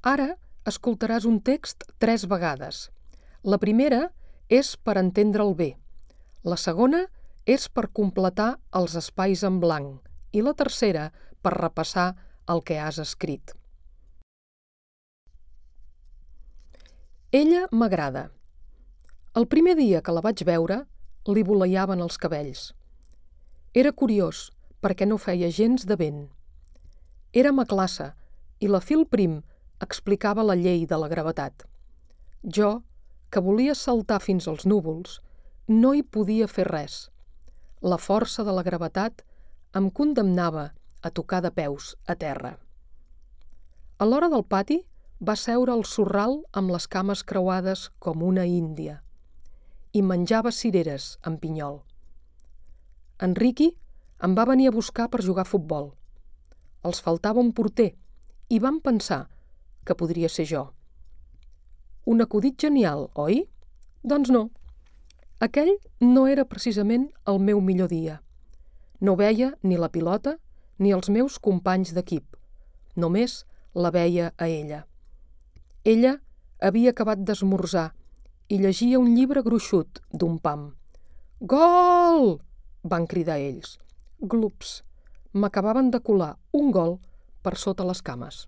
Ara escoltaràs un text 3 vegades. La primera és per entendre'l bé. La segona és per completar els espais en blanc i la tercera per repassar el que has escrit. Ella m'agrada. El primer dia que la vaig veure, li voleiaven els cabells. Era curiós, perquè no feia gens de vent. Érem a classe i la Phil Prim explicava la llei de la gravetat. Jo, que volia saltar fins als núvols, no hi podia fer res. La força de la gravetat em condemnava a tocar de peus a terra. A l'hora del pati va seure al sorral amb les cames creuades com una índia i menjava cireres amb pinyol. En Ricky em va venir a buscar per jugar a futbol. Els faltava un porter i vam pensar que podria ser jo. Un acudit genial, oi? Doncs no. Aquell no era precisament el meu millor dia. No veia ni la pilota ni els meus companys d'equip. Només la veia a ella. Ella havia acabat d'esmorzar i llegia un llibre gruixut d'un pam. «Gol!», van cridar ells. Glups! M'acabaven de colar un gol per sota les cames.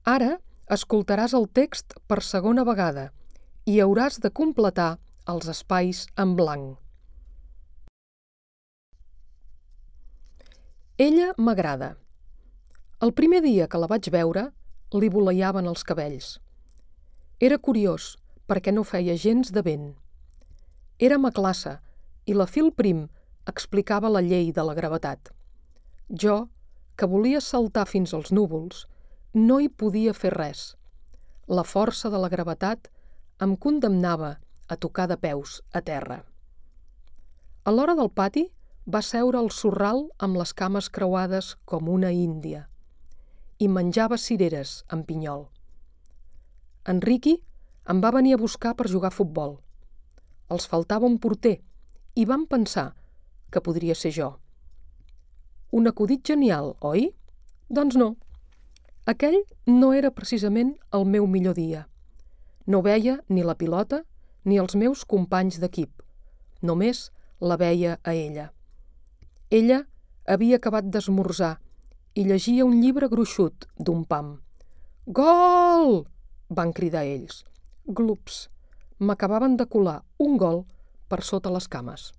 Ara escoltaràs el text per segona vegada i hauràs de completar els espais en blanc. Ella m'agrada. El primer dia que la vaig veure, li voleiaven els cabells. Era curiós, perquè no feia gens de vent. Érem a classe i la Phil Prim explicava la llei de la gravetat. Jo, que volia saltar fins als núvols, no hi podia fer res. La força de la gravetat em condemnava a tocar de peus a terra. A l'hora del pati va seure al sorral amb les cames creuades com una índia i menjava cireres amb pinyol. En Ricky em va venir a buscar per jugar a futbol. Els faltava un porter i vam pensar que podria ser jo. Un acudit genial, oi? Doncs no. Aquell no era precisament el meu millor dia. No veia ni la pilota ni els meus companys d'equip. Només la veia a ella. Ella havia acabat d'esmorzar i llegia un llibre gruixut d'un pam. «Gol!», van cridar ells. Glups! M'acabaven de colar un gol per sota les cames.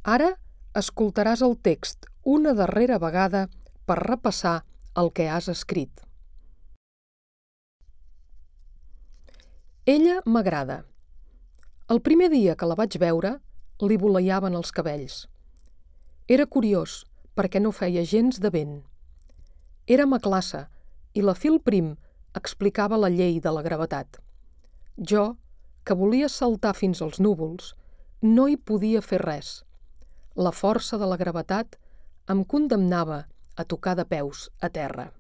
Ara escoltaràs el text una darrera vegada per repassar el que has escrit. Ella m'agrada. El primer dia que la vaig veure, li voleiaven els cabells. Era curiós, perquè no feia gens de vent. Érem a classe i la Phil Prim explicava la llei de la gravetat. Jo, que volia saltar fins als núvols, no hi podia fer res. La força de la gravetat em condemnava a tocar de peus a terra.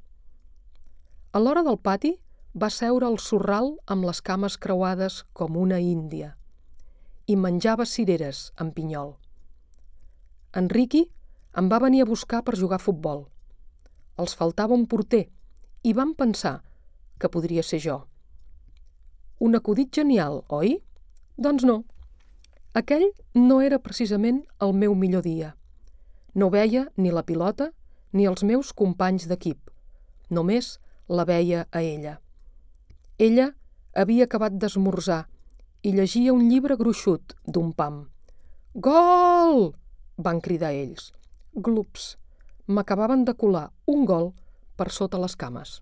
A l'hora del pati va seure al sorral amb les cames creuades com una índia i menjava cireres amb pinyol. En Ricky em va venir a buscar per jugar a futbol. Els faltava un porter i vam pensar que podria ser jo. Un acudit genial, oi? Doncs no. Aquell no era precisament el meu millor dia. No veia ni la pilota ni els meus companys d'equip. Només la veia a ella. Ella havia acabat d'esmorzar i llegia un llibre gruixut d'un pam. «Gol!», van cridar ells. Glups! M'acabaven de colar un gol per sota les cames.